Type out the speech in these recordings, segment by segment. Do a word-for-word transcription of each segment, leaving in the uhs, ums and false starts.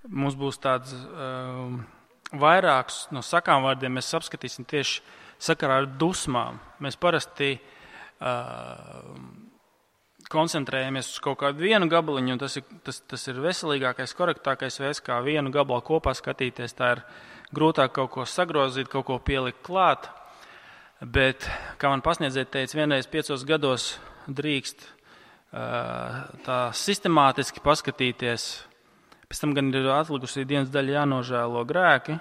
mums būs tāds um, vairāks no sakām vārdiem, mēs apskatīsim tieši sakarā ar dusmām. Mēs parasti uh, koncentrējamies uz kaut kādu vienu gabaliņu, un tas ir, tas, tas ir veselīgākais, korektākais veids, kā vienu gabalu kopā skatīties. Tā ir grūtāk kaut ko sagrozīt, kaut ko pielikt klāt. Bet, kā man pasniedzēja teica, vienreiz piecos gados drīkst uh, tā sistemātiski paskatīties. Pēc tam gan ir atlikusi dienas daļa jānožēlo grēki,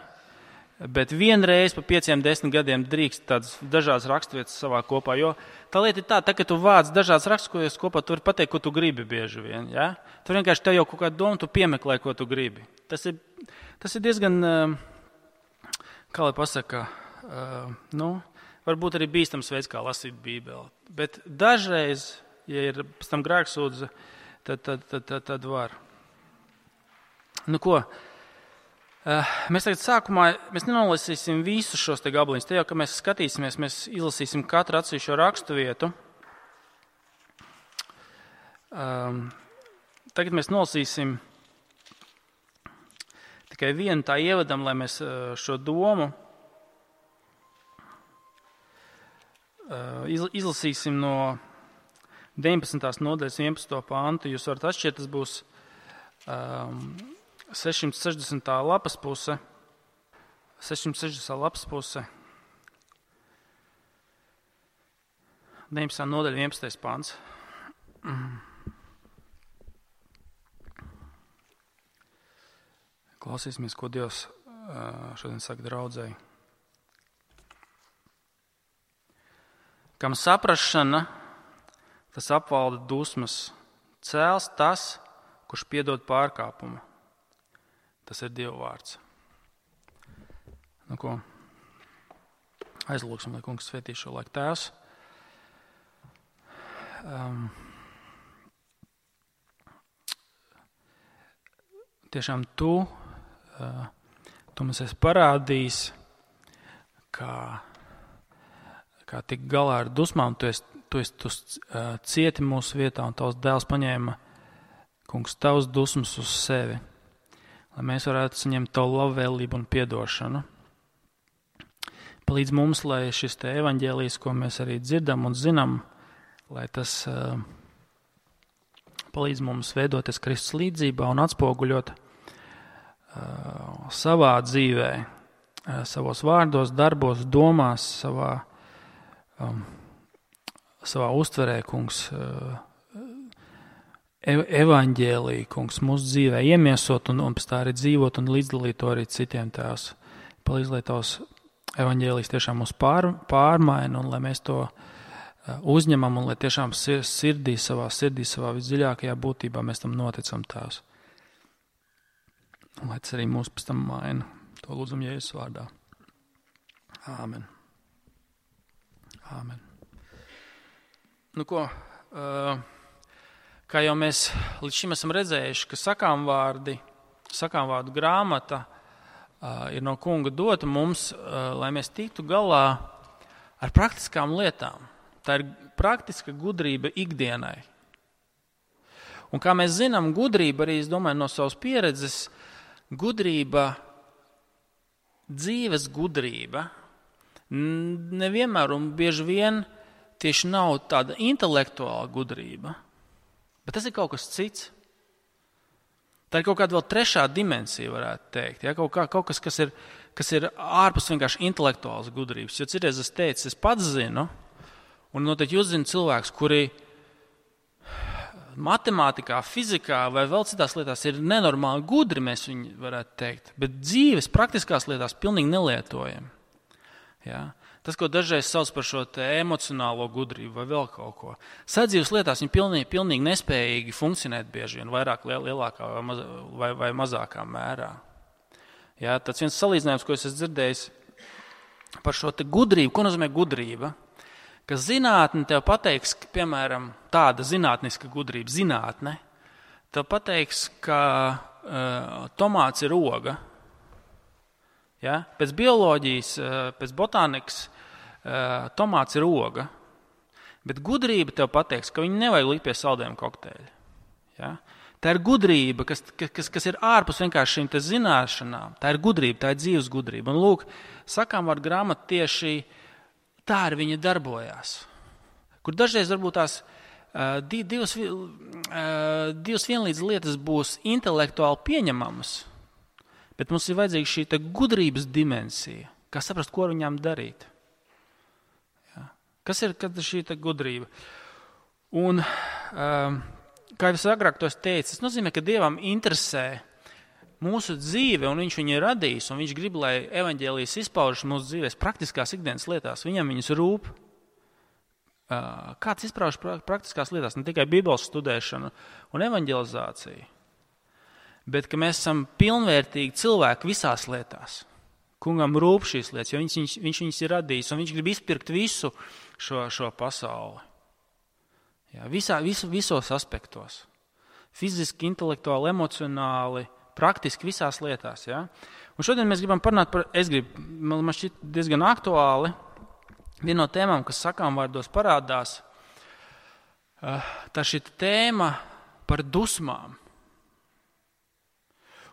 bet vienreiz pa pieciem, desmit gadiem drīkst tādas dažādas raksturvietas savā kopā, jo tā lieta ir tā, tā ka tu vāc dažādas raksturvietas kopā, tu vari pateikt, ko tu gribi bieži vien, ja? Tu vienkārši tev jau kaut kādu domu, tu piemeklē, ko tu gribi. Tas ir, tas ir diezgan, kā lai pasaka, nu, varbūt arī bīstams veids, kā lasīt Bībeli, bet dažreiz, ja ir pēc tam grēksūdze, tad, tad, tad, tad, tad var. Nu ko, mēs tagad sākumā, mēs nenolasīsim visus šos te gabaliņus. Te jau, ka mēs skatīsimies, mēs izlasīsim katru atsevišķo rakstu vietu. Um, tagad mēs nolasīsim tikai vienu tā ievadam, lai mēs šo domu uh, izlasīsim no deviņpadsmitās nodaļas vienpadsmitā pantu. Jūs varat atšķirt, tas būs um, sešsimt sešdesmitā lapas puse, sešsimt sešdesmitā lapas puse, deviņpadsmitā nodaļa vienpadsmitais pants. Klausīsimies, ko Dievs šodien saka draudzei. Kam saprašana, tas apvalda dusmas, cēls tas, kurš piedod pārkāpumu. Tas ir Dieva vārds. Nu ko, aizlūksim, lai kungs svētī šo laiku. Tēvs, um, tiešām tu, uh, tu mums esi parādījis, kā, kā tik galā ar dusmām, tu esi, tu esi tu, uh, cieti mūsu vietā, un tavs dēls paņēma, kungs, tavs dusmas uz sevi, lai mēs varētu saņemt tavu labvēlību un piedošanu. Palīdz mums, lai šis te evaņģēlijs, ko mēs arī dzirdam un zinām, lai tas uh, palīdz mums veidoties Kristus līdzībā un atspoguļot uh, savā dzīvē, uh, savos vārdos, darbos, domās, savā, um, savā uztverē, kungs, uh, evaņģēliju, kungs, mūsu dzīvē iemiesot un, un pēc tā arī dzīvot un līdzdalīt to arī citiem. Tēvs. Palīdz, lai tavs evaņģēlijs tiešām mūs pār, pārmaina un lai mēs to uzņemam un lai tiešām sirdī, savā sirdī, savā visdziļākajā būtībā mēs tam noticam, Tēvs. Un lai tas arī mūs pēc tam maina. To lūdzam Jēzus vārdā. Āmen. Āmen. Nu ko, uh, kā jau mēs līdz šim esam redzējuši, ka sakām vārdi, sakām vārdu grāmata uh, ir no kunga dota mums, uh, lai mēs tiktu galā ar praktiskām lietām. Tā ir praktiska gudrība ikdienai. Un kā mēs zinām, gudrība arī, es domāju, no savas pieredzes, gudrība, dzīves gudrība, nevienmēr un bieži vien tieši nav tāda intelektuāla gudrība, bet tas ir kaut kas cits. Tā ir kaut kāda vēl trešā dimensija, varētu teikt. Ja? Kaut, kā, kaut kas, kas ir, kas ir ārpus vienkārši intelektuālas gudrības. Jo citreiz es teicu, es pats zinu, un noteikti jūs zināt cilvēks, kuri matemātikā, fizikā vai vēl citās lietās ir nenormāli gudri, mēs viņu varētu teikt, bet dzīves praktiskās lietās pilnīgi nelietojam. Ja? Tas, ko dažreiz sauc par šo te emocionālo gudrību vai vēl kaut ko. Sadzīves lietās viņi pilnīgi, pilnīgi nespējīgi funkcionēt bieži vien, vairāk lielākā vai, maz, vai, vai mazākā mērā. Jā, tāds viens salīdzinājums, ko es esmu dzirdējis par šo te gudrību. Ko nozīmē gudrība? Ka zinātne tev pateiks, ka, piemēram, tāda zinātniska gudrība, zinātne, tev pateiks, ka uh, tomāts ir oga. Ja? Pēc bioloģijas, uh, pēc botānikas, tomāts ir oga, bet gudrība tev pateiks, ka viņi nevajag likt pie saldējuma kokteļa. Ja? Tā ir gudrība, kas, kas, kas ir ārpus vienkārši šīm te zināšanām. Tā ir gudrība, tā ir dzīves gudrība. Un lūk, sakām vārdu grāmata tieši tā ar viņa darbojās. Kur dažreiz varbūt tās uh, divas, uh, divas vienlīdz lietas būs intelektuāli pieņemamas, bet mums ir vajadzīga šī te gudrības dimensija, kā saprast, ko ar viņām darīt. Ja. Kas ir šī te gudrība? Un... Uh, Kā jau es agrāk to teicu, tas nozīmē, ka Dievam interesē mūsu dzīve, un viņš viņu ir radījis, un viņš grib, lai evaņģēlijas izpaužas mūsu dzīvēs praktiskās ikdienas lietās. Viņam viņas rūp. Kāds izpaužas praktiskās lietās, ne tikai Bībeles studēšanu un evaņģelizāciju, bet ka mēs esam pilnvērtīgi cilvēki visās lietās. Kungam rūp šīs lietas, jo viņš, viņš, viņš viņas ir radījis, un viņš grib izpirkt visu šo, šo pasauli. Jā, visā, visu, visos aspektos. Fiziski, intelektuāli, emocionāli, praktiski visās lietās. Jā. Un šodien mēs gribam parunāt par, es gribu, man šķiet diezgan aktuāli, viena no tēmām, kas sakām vārdos parādās, tā šī tēma par dusmām.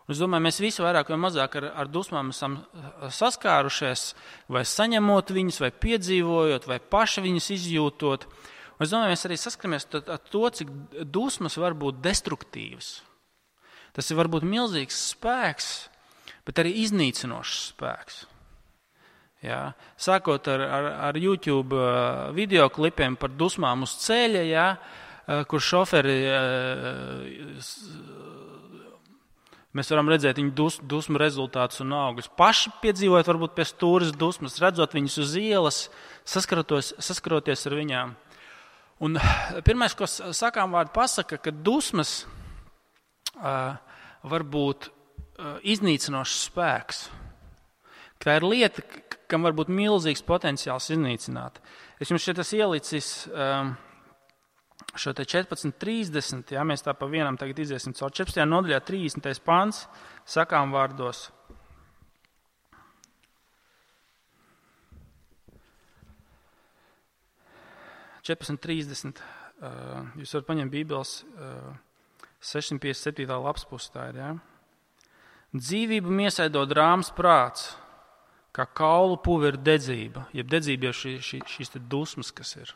Un es domāju, mēs visi vairāk vai mazāk ar, ar dusmām esam saskārušies, vai saņemot viņus, vai piedzīvojot, vai paši viņus izjūtot. Un es domāju, mēs arī saskaramies ar to, cik dusmas var būt destruktīvas. Tas ir varbūt milzīgs spēks, bet arī iznīcinošs spēks. Jā. Sākot ar, ar, ar YouTube videoklipiem par dusmām uz ceļa, jā, kur šoferi, mēs varam redzēt viņu dus, dusmu rezultātus un augļus. Paši piedzīvojot varbūt pie stūres dusmas, redzot viņus uz ielas, saskaroties ar viņām. Un pirmais, ko sakām vārdu pasaka, ka dusmas uh, var būt uh, iznīcinošs spēks. Tā ir lieta, kam var būt milzīgs potenciāls iznīcināt. Es jums šeit esmu ielicis um, šo te četrpadsmit trīsdesmit, jā, mēs tā pa vienam tagad iziesim caur četrpadsmitajā nodaļā trīsdesmitais pants, sakām vārdos. četrpadsmit trīsdesmit, uh, jūs varat paņemt Bībeles uh, sešsimt piecdesmit septītā lapas pusi, tā ir, jā. Dzīvību miesaido drāms prāts, kā kaulu puve ir dedzība, jeb dedzība jau šī, šī, šīs te dusmas, kas ir.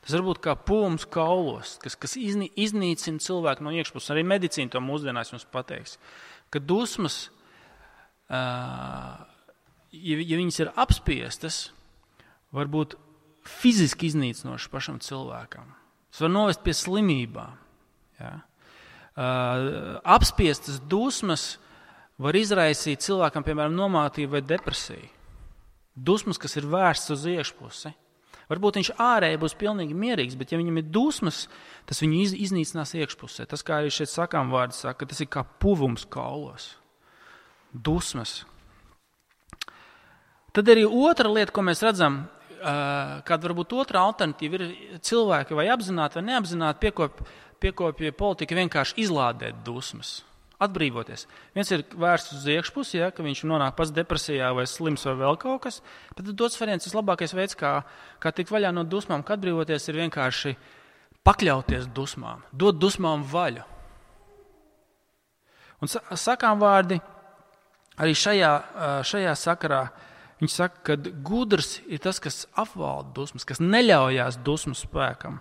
Tas var būt kā pūms kaulos, kas, kas iznī, iznīcina cilvēku no iekšpuses. Arī medicīna to mūsdienās jums pateiks, ka dusmas, uh, ja, ja viņas ir apspiestas, var būt fiziski iznīcinoši pašam cilvēkam. Tas var novest pie slimībām. Ja? Uh, apspiestas dusmas var izraisīt cilvēkam, piemēram, nomātību vai depresiju. Dusmas, kas ir vērsts uz iekšpusi. Varbūt viņš ārēji būs pilnīgi mierīgs, bet ja viņam ir dusmas, tas viņu iz, iznīcinās iekšpusē. Tas, kā arī šeit sakām vārdi, saka, tas ir kā puvums kaulos. Dusmas. Tad arī otra lieta, ko mēs redzam, kāda varbūt otra alternatīva ir cilvēki vai apzināti vai neapzināti piekop, piekopja politika vienkārši izlādēt dusmas, atbrīvoties. Viens ir vērsts uz iekšpusi, ja, ka viņš nonāk pats depresijā vai slims vai vēl kaut kas, bet tad dots variants, vislabākais veids, kā, kā tikt vaļā no dusmām, kā atbrīvoties, ir vienkārši pakļauties dusmām, dot dusmām vaļu. Un sakām vārdi arī šajā, šajā sakarā. Viņš saka, ka gudrs ir tas, kas apvalda dusmas, kas neļaujās dusmu spēkam.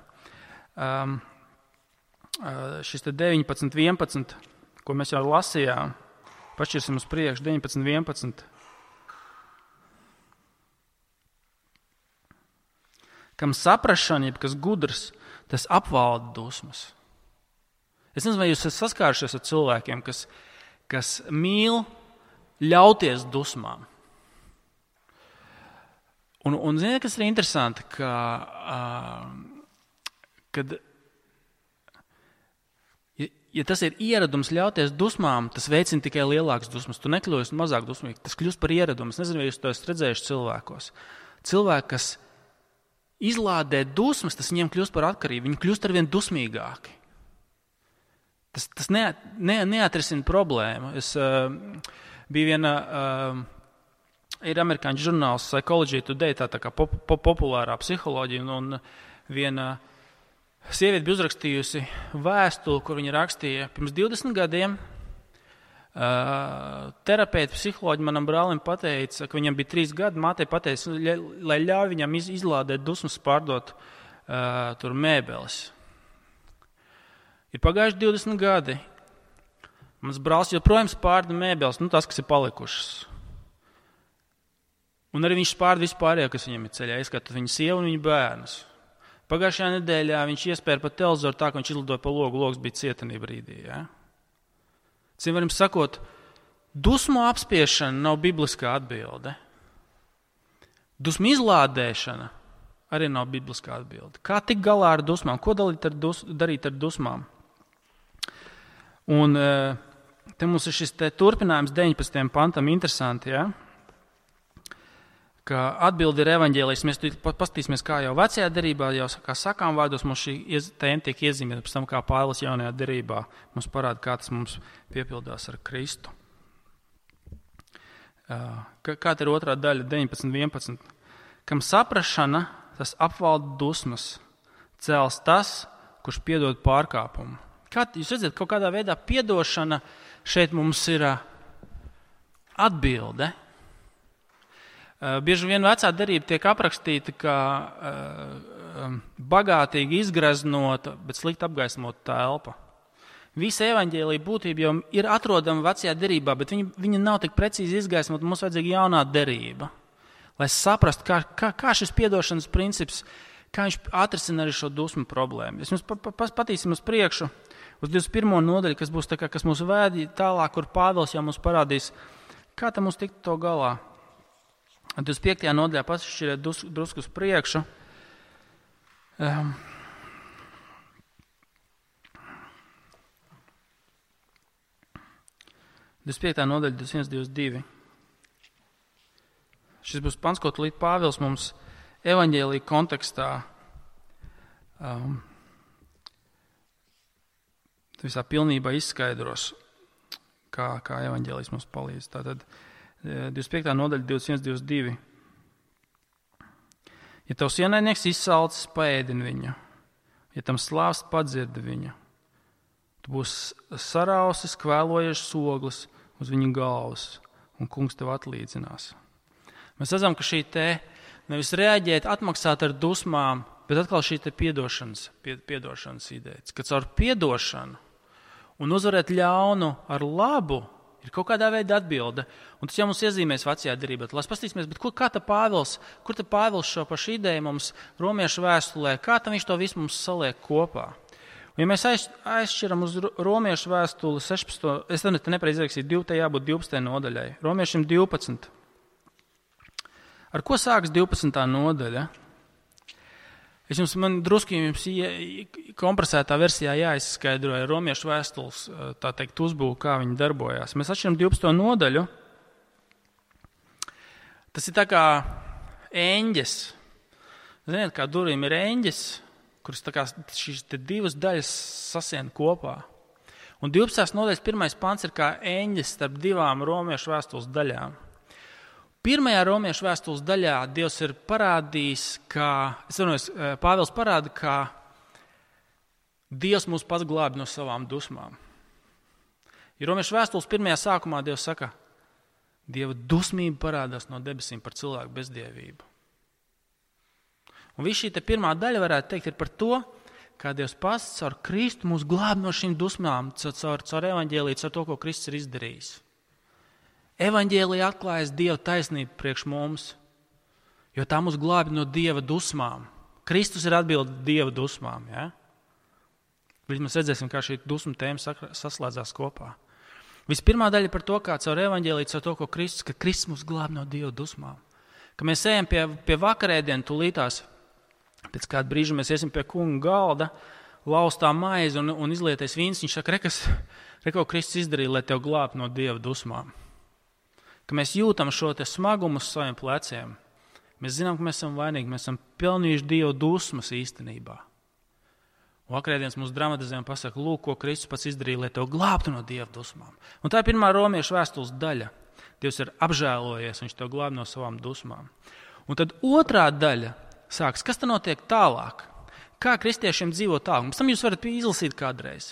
Um, uh, šis te deviņpadsmit vienpadsmit, ko mēs jau lasījām, pašķirsim uz priekšu, deviņpadsmit vienpadsmit. Kam saprašana, jeb kas gudrs, tas apvalda dusmas. Es nezinu, vai jūs esat saskārušies ar cilvēkiem, kas, kas mīl ļauties dusmām. Un, un ziniet, kas ir interesanti, ka, uh, kad, ja, ja tas ir ieradums ļauties dusmām, tas veicina tikai lielākas dusmas. Tu nekļūsi mazāk dusmīgi, tas kļūst par ieradumu. Es nezinu, vai jūs to esat redzējuši cilvēkos. Cilvēki, kas izlādē dusmas, tas viņiem kļūst par atkarību. Viņi kļūst arvien dusmīgāki. Tas, tas ne, ne, neatrisina problēmu. Es uh, biju viena... Uh, Ir amerikāņu žurnāls Psychology Today, tā, tā kā pop, pop, populārā psiholoģija, un viena, Sieviete bija uzrakstījusi vēstuli, kur viņa rakstīja pirms divdesmit gadiem. Uh, terapeiti, psiholoģi manam brālim pateica, ka viņam bija trīs gadi, mātei pateica, lai ļauj viņam iz, izlādēt dusmas, pārdot uh, tur mēbeles. Ir pagājuši divdesmit gadi. Mans brālis joprojām spārda mēbeles, nu tās, kas ir palikušas. Un arī viņš spārda vispārējo, kas viņam ir ceļā, izskatot viņa sievu un viņa bērnus. Pagājušajā nedēļā viņš iespēja pa televizoru tā, ka viņš izlidoja pa logu, logs bija cietenī brīdī. Ja? Cim varam sakot, dusmu apspiešana nav bibliskā atbilde. Dusmu izlādēšana arī nav bibliskā atbilde. Kā tik galā ar dusmām? Ko darīt ar, dus, darīt ar dusmām? Un te mums ir šis te turpinājums deviņpadsmitajam pantam interesanti, ja? Ka atbildi ir evaņģēlijs. Mēs paskatīsimies, kā jau vecajā derībā, jau kā sakām vārdos, mums šī tēma tiek iezīmēta, pēc tam kā Pāvils jaunajā derībā mums parāda, kā tas mums piepildās ar Kristu. Kāda ir otrā daļa, deviņpadsmit vienpadsmit? Kam saprašana, tas apvalda dusmas, cēls tas, kurš piedod pārkāpumu. Kā, jūs redzat, kaut kādā veidā piedošana šeit mums ir atbilde. Bieži vien vecā derība tiek aprakstīta kā uh, bagātīgi izgraznota, bet slikti apgaismota telpa. Visa evaņģēlija būtība jau ir atrodama vecajā derībā, bet viņa, viņa nav tik precīzi izgaismota, mums vajadzīga jaunā derība. Lai saprastu, kā, kā, kā šis piedošanas princips, kā viņš atrisina arī šo dusmu problēmu. Es mums pa, pa, patīsim uz priekšu, uz divdesmit pirmo nodaļu, kas būs tā kā, kas mūs vēdi tālāk, kur Pāvils jau mums parādīs, kā tam mums tikt to galā. divdesmit piektajā nodaļā pašķiriet dus, drusku uz priekšu. Um, divdesmit piektā nodaļa, divdesmit viens, divdesmit divi. Šis būs pants, ko tulīt Pāvils mums evaņģēlija kontekstā um, visā pilnībā izskaidros, kā, kā evaņģēlijs mums palīdz. Tātad divdesmit piektā nodaļa, divdesmit viens, divdesmit divi. Ja tavs ienaidnieks izsalcis, paēdini viņu. Ja tam slāvs, padzirdi viņu. Tu būsi sarausis, kvēlojies soglis uz viņa galvas, un kungs tev atlīdzinās. Mēs redzam, ka šī te nevis reaģēt, atmaksāt ar dusmām, bet atkal šī te piedošanas, piedošanas ideja. Ka caur piedošanu un uzvarēt ļaunu ar labu ir kaut kādā veidā atbilde. Un tas jau mums iezīmēs vecajā derībā. Lai paskatīsimies, bet kur, kā ta Pāvils, kur ta Pāvils šo pašu ideju mums romiešu vēstulē, kā tam viņš to visu mums saliek kopā. Un ja mēs aiz, aizšķiram uz romiešu vēstuli sešpadsmito, es te nepareizi rakstīju, divpadsmit jābūt divpadsmitajai nodaļai. Romiešiem divpadsmit. Ar ko sāks divpadsmitā nodaļa? Es jums, man drusku jums kompresētā versijā jāizskaidroja romiešu vēstules, tā teikt, uzbūvu, kā viņi darbojās. Mēs atšķiram divpadsmito nodaļu. Tas ir tā kā eņģes. Ziniet, kā durvīm ir eņģes, kuras tā kā šīs te divas daļas sasien kopā. Un divpadsmitās nodaļas pirmais pants ir kā eņģes starp divām romiešu vēstules daļām. Pirmajā romiešu vēstules daļā Dievs ir parādījis, ka, es vainojos, Pāvils parāda, ka Dievs mūs pats glābi no savām dusmām. Ja romiešu vēstules pirmajā sākumā Dievs saka, Dieva dusmība parādās no debesīm par cilvēku bezdievību. Un viss šī te pirmā daļa, varētu teikt, ir par to, kā Dievs pats caur Kristu mūs glābi no šīm dusmām, caur, caur evaņģēliju, caur to, ko Kristus ir izdarījis. Evaņģēlija atklājas Dieva taisnību priekš mums, jo tā mūs glābi no Dieva dusmām. Kristus ir atbilde Dieva dusmām. Ja? Mēs redzēsim, kā šī dusmu tēma saslēdzās kopā. Vispirmā daļa par to, kā caur evaņģēliju, caur to, ko Kristus, ka Kristus mūs glābi no Dieva dusmām. Ka mēs ejam pie, pie vakarēdienu tūlītās, pēc kāda brīža mēs iesim pie kunga galda, laustā maizi un, un izlietais vīns. Viņš saka, rekas, reko Kristus izdarīja, lai tev glābtu no Dieva dusmām. Ka mēs jūtam šo te smagumu uz saviem pleciem. Mēs zinām, ka mēs esam vainīgi, mēs esam pelnījuši Dieva dusmas īstenībā. Un vakarēdienas mūsu dramatizējumi pasaka, lūk, ko Kristus pats izdarīja, lai tev glābtu no Dieva dusmām. Un tā ir pirmā romiešu vēstules daļa. Dievs ir apžēlojies, viņš tev glāb no savām dusmām. Un tad otrā daļa sāks, kas tad notiek tālāk? Kā kristiešiem dzīvot tālāk? Pēc tam jūs varat izlasīt kādreiz.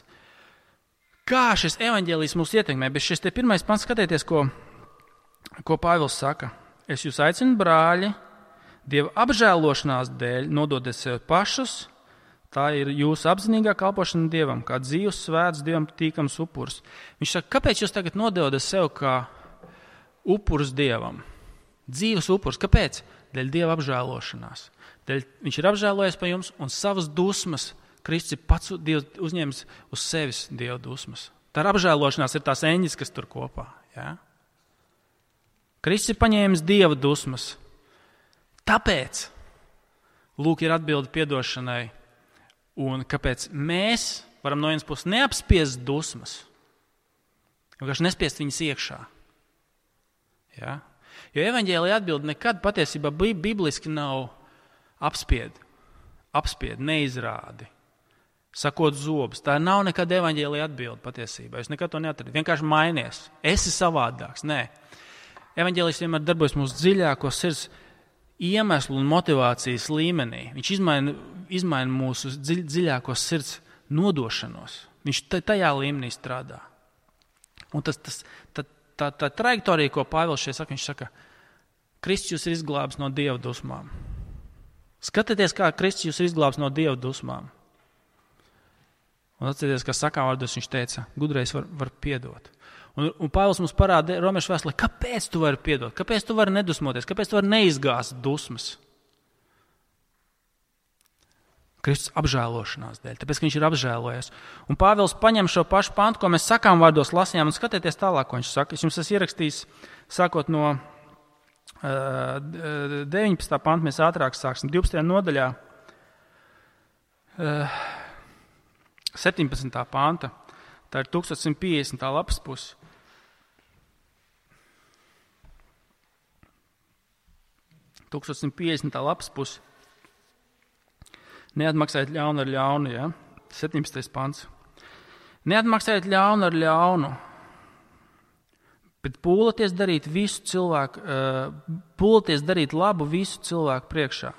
Kā šis evaņģēlijs mūs ietekmē? Bet šis te pirmais pants, skatieties, ko, ko Pāvils saka. Es jūs aicinu, brāļi, Dieva apžēlošanās dēļ nododiet sev pašus. Tā ir jūsu apzinīgā kalpošana Dievam, kā dzīvs, svēts, Dievam tīkams upurs. Viņš saka, kāpēc jūs tagad nododat sev kā upurs Dievam? Dzīvs upurs. Kāpēc? Dēļ Dieva apžēlošanās. Dēļ viņš ir apžēlojies par jums un savas dusmas. Kristus ir pats Dievs uzņēmis uz sevis Dieva dusmas. Tā ir apžēlošanās, ir tās eņģis, kas tur kopā. Ja? Kristus ir paņēmis Dieva dusmas. Tāpēc, lūk, ir atbilde piedošanai. Un kāpēc mēs varam no vienas puses neapspiest dusmas, vienkārši nespiest viņas iekšā. Ja? Jo evaņģēlija atbilde nekad patiesībā bibliski nav apspied, apspied, neizrādi, sakot zobus. Tā nav nekad evaņģēlija atbilde patiesībā. Jūs nekad to neatradat. Vienkārši mainies. Esi savādāks. Nē. Evaņģēlijs vienmēr darbojas mūsu dziļākos sirds iemeslu un motivācijas līmenī. Viņš izmaina, izmaina mūsu dziļ, dziļākos sirds nodošanos. Viņš tajā līmenī strādā. Un tas, tas, tā, tā, tā trajektorija, ko Pāvils šeit saka, viņš saka, Kristus jūs ir izglābis no Dieva dusmām. Skatieties, kā Kristus jūs ir izglābis no Dieva dusmām. Un atcerieties, kā sakām vārdos viņš teica, gudrais var, var piedot. Un, un Pāvils mums parāda Romiešu vēstulē, kāpēc tu vari piedot, kāpēc tu vari nedusmoties, kāpēc tu vari neizgāzt dusmas. Kristus apžēlošanās dēļ, tāpēc, ka viņš ir apžēlojies. Un Pāvils paņem šo pašu pantu, ko mēs sakām vārdos lasījām, un skatieties tālāk, ko viņš saka. Es jums esmu ierakstījis, sākot no uh, deviņpadsmitā panta, mēs ātrāk sāksim, divpadsmitajā nodaļā, uh, septiņpadsmitā panta, tā ir tūkstoš simt piecdesmitā lapas pusi. tūkstoš simt piecdesmitā lapas pusi. Neatmaksājiet ļaunu ar ļaunu, ja? septiņpadsmitais pants. Neatmaksājiet ļaunu ar ļaunu, bet pūlaties darīt visu cilvēku, pūlaties darīt labu visu cilvēku priekšā.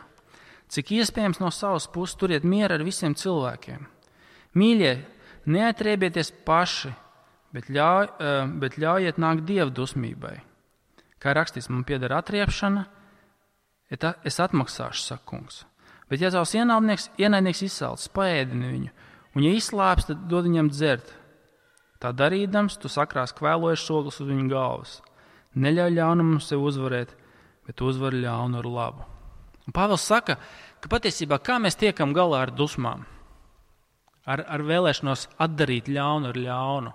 Cik iespējams no savas puses turiet mieru ar visiem cilvēkiem. Mīļie, neatriebieties paši, bet, ļauj, bet ļaujiet nākt Dieva dusmībai. Kā rakstīts, man pieder atriepšana, es atmaksāšu, saka kungs. Bet ja tavs ienaidnieks, ienaidnieks izsalcis, paēdini viņu, un ja izslāps, tad dod viņam dzert. Tā darīdams, tu sakrās kvēlojuši soglis uz viņu galvas. Neļauj ļaunumam sev uzvarēt, bet uzvar ļaunu ar labu. Un Pāvils saka, ka patiesībā kā mēs tiekam galā ar dusmām, ar, ar vēlēšanos atdarīt ļaunu ar ļaunu.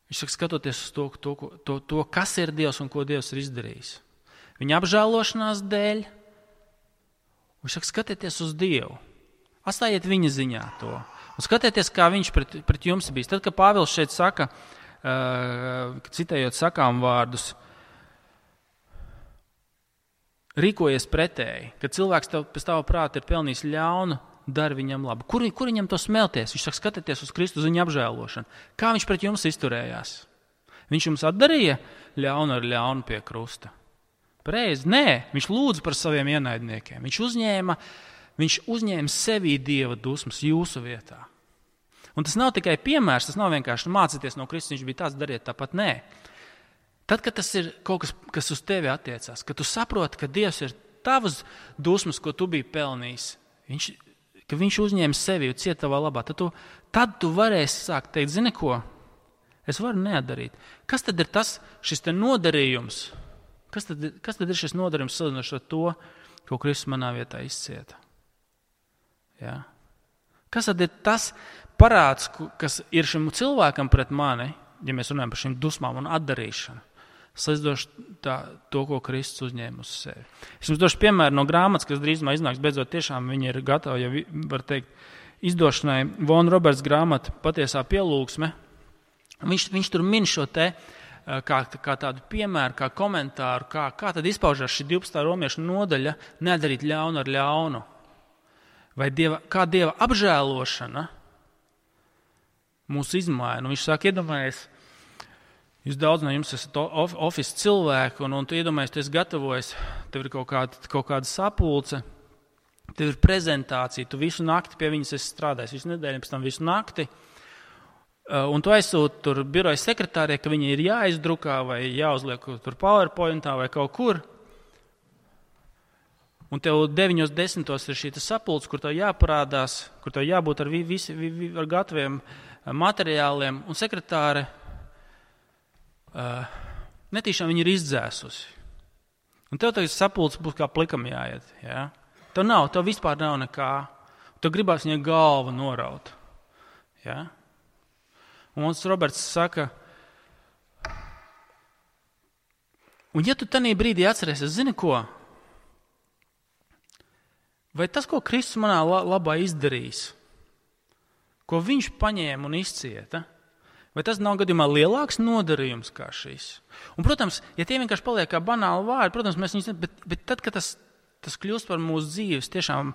Viņš saka, skatoties uz to, to, to, to, kas ir Dievs un ko Dievs ir izdarījis. Viņa apžēlošanās dēļ, viņš saka, skatieties uz Dievu, atstājiet viņa ziņā to. Un skatieties, kā viņš pret, pret jums bijis. Tad, kad Pāvils šeit saka, uh, citējot sakām vārdus, rīkojies pretēji, kad cilvēks tev, pēc tava prāta ir pelnījis ļaunu, dari viņam labu. Kur, kur viņam to smelties? Viņš saka, skatieties uz Kristu, uz viņa apžēlošanu. Kā viņš pret jums izturējās? Viņš jums atdarīja ļaunu ar ļaunu pie krusta. Pareizi? Nē, viņš lūdza par saviem ienaidniekiem. Viņš uzņēma, viņš uzņēma sevī Dieva dusmas jūsu vietā. Un tas nav tikai piemērs, tas nav vienkārši mācīties no Kristus, viņš bija tāds, dariet tāpat. Nē. Tad, kad tas ir kaut kas, kas uz tevi attiecās, kad tu saproti, ka Dievs ir tavas dusmas, ko tu biji pelnījis, viņš, ka viņš uzņēma sevi un cieta tavā labā, tad tu, tad tu varēsi sākt teikt, zini ko, es varu neatdarīt. Kas tad ir tas, šis te nodarījums? Kas tad, kas tad ir šis nodarījums salīdzinoši ar to, ko Kristus manā vietā izcieta? Ja? Kas tad ir tas parāds, kas ir šim cilvēkam pret mani, ja mēs runājam par šīm dusmām un atdarīšanu, salīdzinoši to, ko Kristus uzņēma uz sevi. Es jums došu piemēru no grāmatas, kas drīzumā iznāks, beidzot tiešām viņi ir gatavi, ja var teikt, izdošanai. Von Roberts grāmata Patiesā pielūgsme. Viņš, viņš tur min šo te, Kā, kā tādu piemēru, kā komentāru, kā, kā tad izpaužās šī divpadsmitā romiešu nodaļa nedarīt ļaunu ar ļaunu. Vai dieva, kā Dieva apžēlošana mūs izmaina. Un viņš sāk iedomājies, jūs daudz no jums esat office cilvēki, un, un tu iedomājies, tu esi gatavojis, tev ir kaut kāda, kaut kāda sapulce, tev ir prezentācija, tu visu nakti pie viņas esi strādājis, visu nedēļu, pēc tam visu nakti, un tu aizsūti tur biroja sekretārē, ka viņi ir jāizdrukā vai jāuzliek tur PowerPointā vai kaut kur, un tev deviņos desmitos ir šī sapulce, kur tev jāparādās, kur tev jābūt ar, visi, ar gataviem materiāliem, un sekretāre uh, netīšām viņi ir izdzēsusi. Un tev tagad sapulce būs kā plikam jāiet. Ja? Tev nav, tev vispār nav nekā. Tev gribās viņai galvu noraut. Ja? Un mums Roberts saka, un ja tu tanī brīdī atcerēsies, zini ko? Vai tas, ko Kristus manā labā izdarīs, ko viņš paņēma un izcieta, vai tas nav gadījumā lielāks nodarījums kā šis? Un, protams, ja tie vienkārši paliek kā banāli vārdi, protams, mēs viņus, bet, bet tad, kad tas, tas kļūst par mūsu dzīves, tiešām,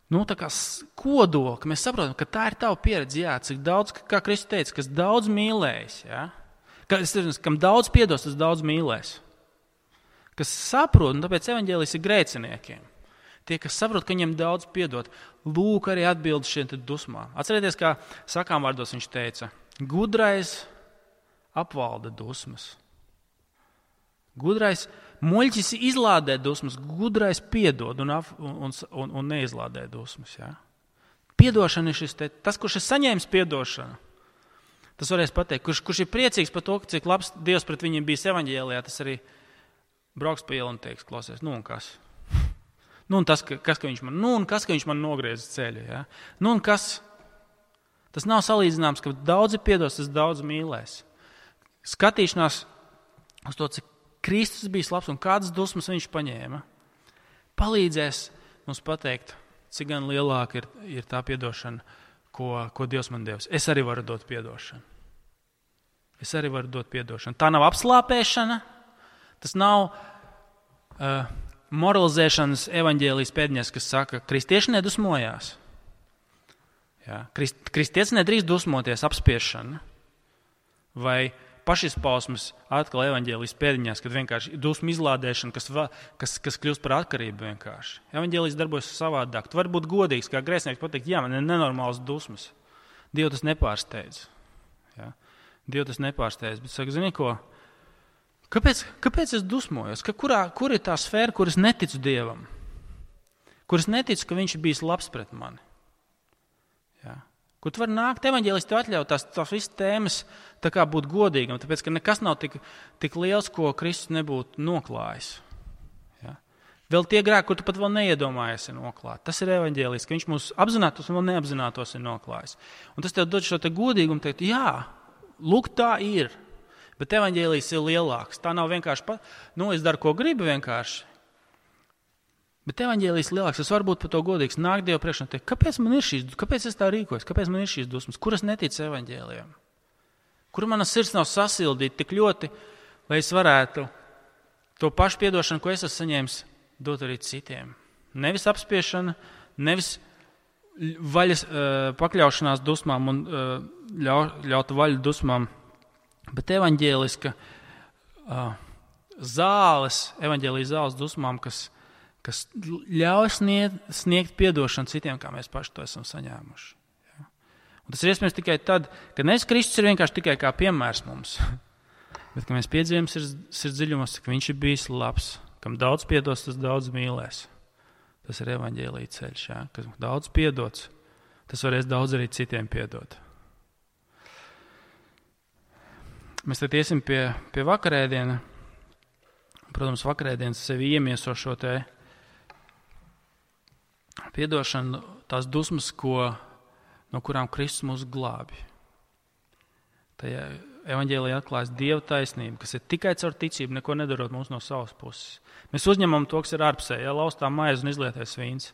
nu, tā kā kodola, ka mēs saprotam, ka tā ir tava pieredze, jā, cik daudz, kā Kristus teica, kas daudz mīlējis, jā, ka, kam daudz piedos, tas daudz mīlēs. Kas saprot, un tāpēc evaņģēlijs ir grēciniekiem. Tie, kas saprot, ka viņiem daudz piedot, lūk arī atbildi šiem dusmām. Atcerieties, kā sakām vārdos viņš teica, gudrais apvalda dusmas. Gudrais muļķis izlādē dusmas, gudrais piedod un, un, un, un neizlādē dusmas. Ja? Piedošana ir šis te, tas, kurš ir saņēmis piedošanu. Tas varēs pateikt, kurš, kurš ir priecīgs par to, cik labs Dievs pret viņiem bijis evaņģēlijā, tas arī brauks pa ielu un teiks, klausies, nu un kas? Nu un tas, ka, kas, ka viņš man, nu un kas, ka viņš man nogriez ceļu. Ja? Nu un kas? Tas nav salīdzināms, ka daudzi piedos, tas daudz mīlēs. Skatīšanās uz to, cik Kristus bija labs un kādas dusmas viņš paņēma, palīdzēs mums pateikt, cik gan lielāka ir, ir tā piedošana, ko, ko Dievs man devis. Es arī varu dot piedošanu. Es arī varu dot piedošanu. Tā nav apslāpēšana, tas nav uh, moralizēšanas evaņģēlijas pēdņas, kas saka, kristieši nedusmojās. Ja? Krist, kristietis nedrīkst dusmoties, apspiešana vai pašizpausmes atkal evaņģēlijas pēdiņās, kad vienkārši dusmu izlādēšana, kas, va, kas, kas kļūst par atkarību vienkārši. Evaņģēlijas darbojas savādāk. Tu vari būt godīgs, kā grēcinieks pateikt, jā, man ir nenormāls dusmas. Dievu tas nepārsteidz. Ja? Dievu tas nepārsteidz, bet saka, zini ko? Kāpēc, kāpēc es dusmojos? Ka kurā, kur ir tā sfēra, kur es neticu Dievam? Kur es neticu, ka viņš ir bijis labs pret mani? Ja? Kur tu vari nākt, evaņģēlis tev atļaut tās, tās visas tēmas tā kā būt godīgam, tāpēc, ka nekas nav tik, tik liels, ko Kristus nebūtu noklājis. Ja? Vēl tie grēki, kur tu pat vēl neiedomājies, ir noklāt. Tas ir evaņģēlis, ka viņš mūs apzinātos un vēl neapzinātos ir noklājis. Un tas tev dod šo te godīgumu, teikt, jā, lūk, tā ir. Bet evaņģēlis ir lielāks. Tā nav vienkārši, pa, nu, es daru, ko gribu vienkārši. Bet evaņģēlijs lielāks, es varu būt par to godīgs, nāk Dievu priekšā un teikt, kāpēc man ir šīs, kāpēc es tā rīkojos, kāpēc man ir šīs dusmas, kur es neticu evaņģēlijam, kur mana sirds nav sasildīta tik ļoti, lai es varētu to pašu piedošanu, ko es esmu saņēmis, dot arī citiem. Nevis apspiešana, nevis vaļas, pakļaušanās dusmām un ļau, ļauta vaļu dusmām, bet evaņģēliska zāles, evaņģēlijas zāles dusmām, kas kas ļauj sniegt, sniegt piedošanu citiem, kā mēs paši to esam saņēmuši. Ja? Un tas ir iespējams tikai tad, kad nevis Kristus ir vienkārši tikai kā piemērs mums, bet ka mēs piedzīvojam sirds, sirds dziļumos, ka viņš ir bijis labs, kam daudz piedos, tas daudz mīlēs. Tas ir evaņģēlija ceļš, ja? Kas daudz piedots, tas varēs daudz arī citiem piedot. Mēs tad iesim pie, pie vakarēdiena. Protams, vakarēdienas sevi iemieso šo te piedošanu, tās dusmas, ko, no kurām Kristus mūs glābi. Tajā evaņģēlijā atklājas Dieva taisnība, kas ir tikai caur ticību, neko nedarot mums no savas puses. Mēs uzņemam to, kas ir ārpusē, ja laustā maize un izlietais vīns.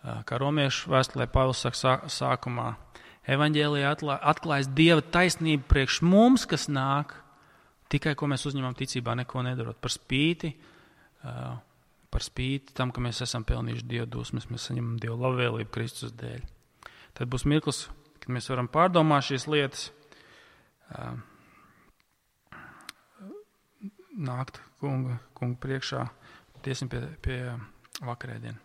Kā romiešu vēstulē Pāvils saka sākumā, evaņģēlijā atklājas Dieva taisnība priekš mums, kas nāk, tikai, ko mēs uzņemam ticībā, neko nedarot. Par spīti, uh, par spīti tam, ka mēs esam pelnījuši Dieva dusmas, mēs saņemam Dieva labvēlību Kristus dēļ. Tad būs mirklis, kad mēs varam pārdomāt šīs lietas, uh, nākt kunga, kunga priekšā, tiesim pie, pie vakarēdiena.